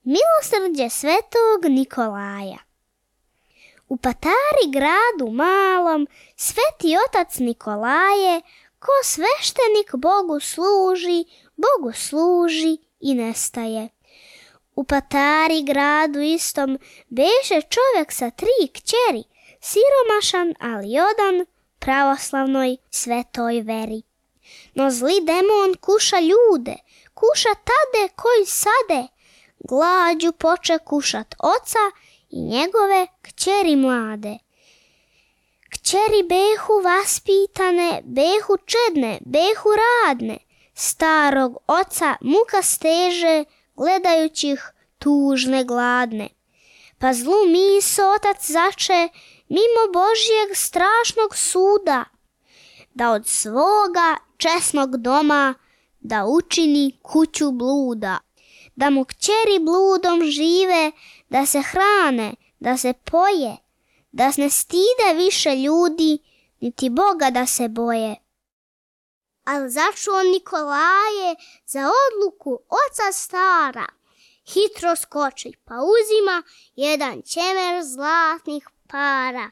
Milosrđe svetog Nikolaja. U Patari gradu malom sveti otac Nikolaje, ko sveštenik Bogu služi i nestaje. U Patari gradu istom beše čovjek sa 3 kćeri, siromašan, ali odan pravoslavnoj svetoj veri. No zli demon kuša ljude, kuša tade koji sade, glađu poče kušat oca i njegove kćeri mlade. Kćeri behu vaspitane, behu čedne, behu radne, starog oca muka steže, gledajući ih tužne gladne. Pa zlu miso otac zače, mimo Božjeg strašnog suda, da od svoga česnog doma da učini kuću bluda, da mu kćeri bludom žive, da se hrane, da se poje, da ne stide više ljudi, niti Boga da se boje. Al začuo Nikolaje za odluku oca stara, hitro skoči pa uzima jedan ćemer zlatnih para.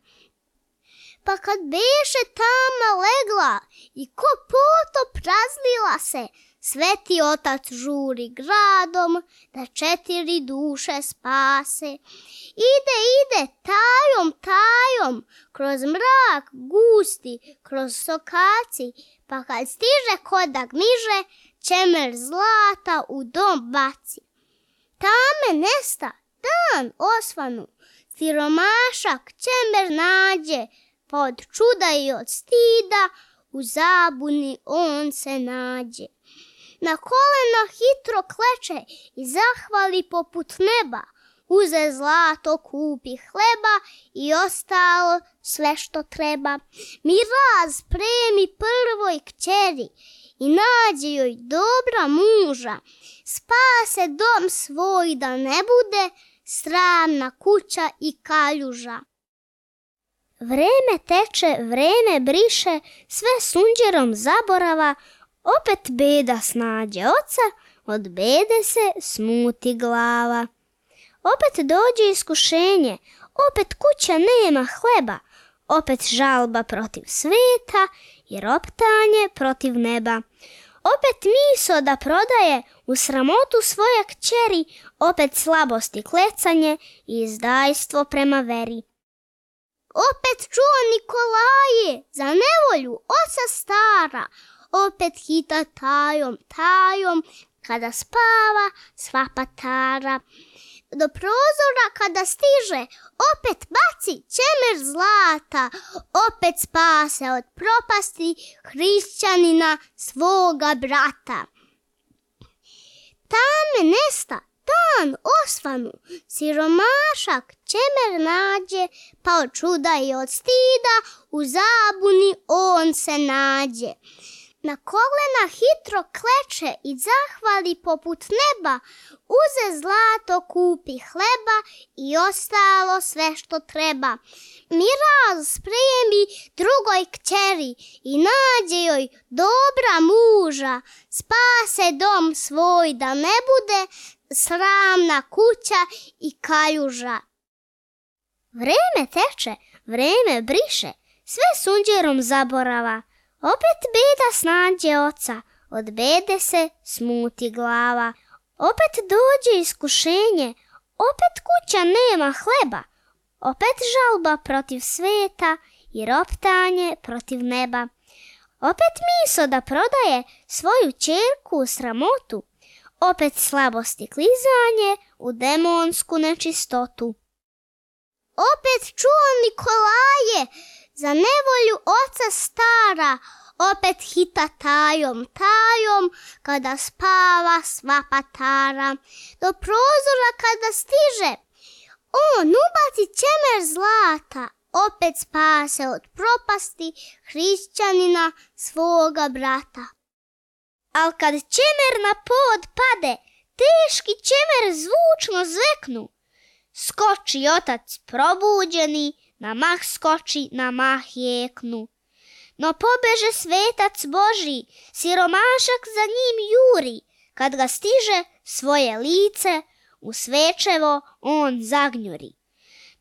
Pa kad beše tama legla i ko potop razlila se, sveti otac žuri gradom da 4 duše spase. Ide tajom, kroz mrak gusti, kroz sokaci, pa kad stiže ko da gmiže, ćemer zlata u dom baci. Tame nesta, dan osvanu, siromašak ćemer nađe, pa od čuda i od stida u zabuni on se nađe. Na kolena hitro kleče i zahvali poput neba, uze zlato, kupi hleba i ostalo sve što treba. Miraz premi prvoj kćeri i nađe joj dobra muža, spase dom svoj da ne bude sramna kuća i kaljuža. Vreme teče, vreme briše, sve sunđerom zaborava, opet beda snađe oca, od bede se smuti glava. Opet dođe iskušenje, opet kuća nema hleba, opet žalba protiv sveta i roptanje protiv neba. Opet miso da prodaje u sramotu svoje kćeri, opet slabost i klecanje i izdajstvo prema veri. Opet čuo Nikolaje za nevolju oca stara, opet hita tajom, kada spava sva Patara. Do prozora kada stiže, opet baci ćemer zlata, opet spase od propasti hrišćanina svoga brata. Tame nesta, dan osvanu, siromašak ćemer nađe, pa od čuda i od stida u zabuni on se nađe. Na kolena hitro kleče i zahvali poput neba, uze zlato, kupi hleba i ostalo sve što treba. Miraz spremi drugoj kćeri i nađe joj dobra muža, spase dom svoj da ne bude sramna kuća i kaljuža. Vreme teče, vreme briše, sve sunđerom zaborava, opet beda snađe oca, od bede se smuti glava. Opet dođe iskušenje, opet kuća nema hleba, opet žalba protiv sveta i roptanje protiv neba. Opet miso da prodaje svoju ćerku u sramotu, opet slabost i klizanje u demonsku nečistotu. Opet čuo Nikolaje za nevolju oca stara, opet hita tajom, kada spava sva Patara. Do prozora kada stiže, on ubaci ćemer zlata, opet spase od propasti hrišćanina svoga brata. Al kad ćemer na pod pade, teški ćemer zvučno zveknu, skoči otac probuđeni, na mah skoči, na mah jeknu. No pobeže svetac Božji, siromašak za njim juri, kad ga stiže svoje lice u svečevo on zagnjuri.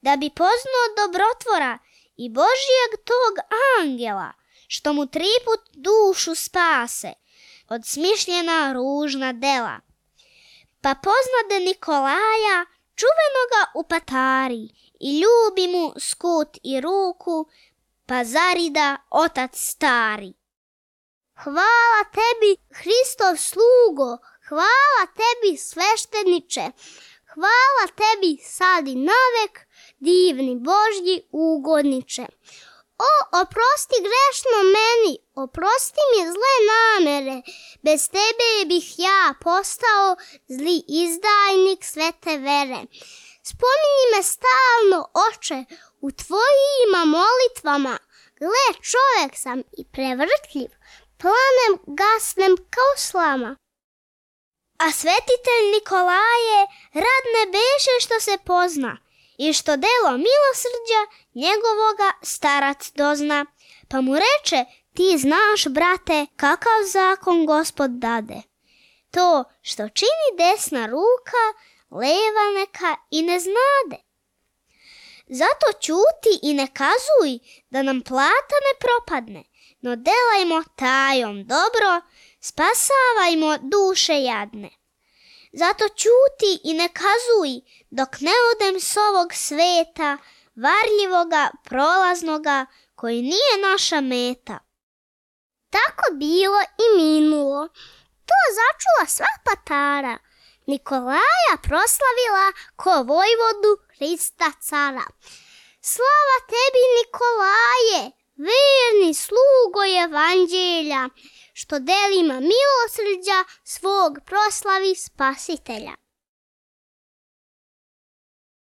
Da bi poznao dobrotvora i Božijeg tog angela, što mu 3 put dušu spase od smišljena ružna dela. Pa poznade Nikolaja, čuvenoga u Patari, i ljubi mu skut i ruku, pa zarida otac stari. Hvala tebi, Hristov slugo, hvala tebi, svešteniče, hvala tebi sad i navek, divni Božji ugodniče. O, oprosti grešno meni, oprosti mi zle namere, bez tebe bih ja postao zli izdajnik svete vere. Spominji me stalno, Oče, u tvojima molitvama, gle, čovjek sam i prevrtljiv, planem gasnem kao slama. A svetitelj Nikolaje rad ne beše što se pozna, i što delo milosrđa njegovoga starac dozna. Pa mu reče, ti znaš, brate, kakav zakon Gospod dade. To što čini desna ruka, leva neka i ne znade. Zato ćuti i ne kazuj, da nam plata ne propadne, no delajmo tajom dobro, spasavajmo duše jadne. Zato ćuti i ne kazuj, dok ne odem s ovog sveta, varljivoga, prolaznoga, koji nije naša meta. Tako bilo i minulo. To začula sva Patara. Nikolaja proslavila ko vojvodu Hrista cara. Slava tebi, Nikolaje, verni slugo evanđelja, što delima milosrđa svog proslavi Spasitelja.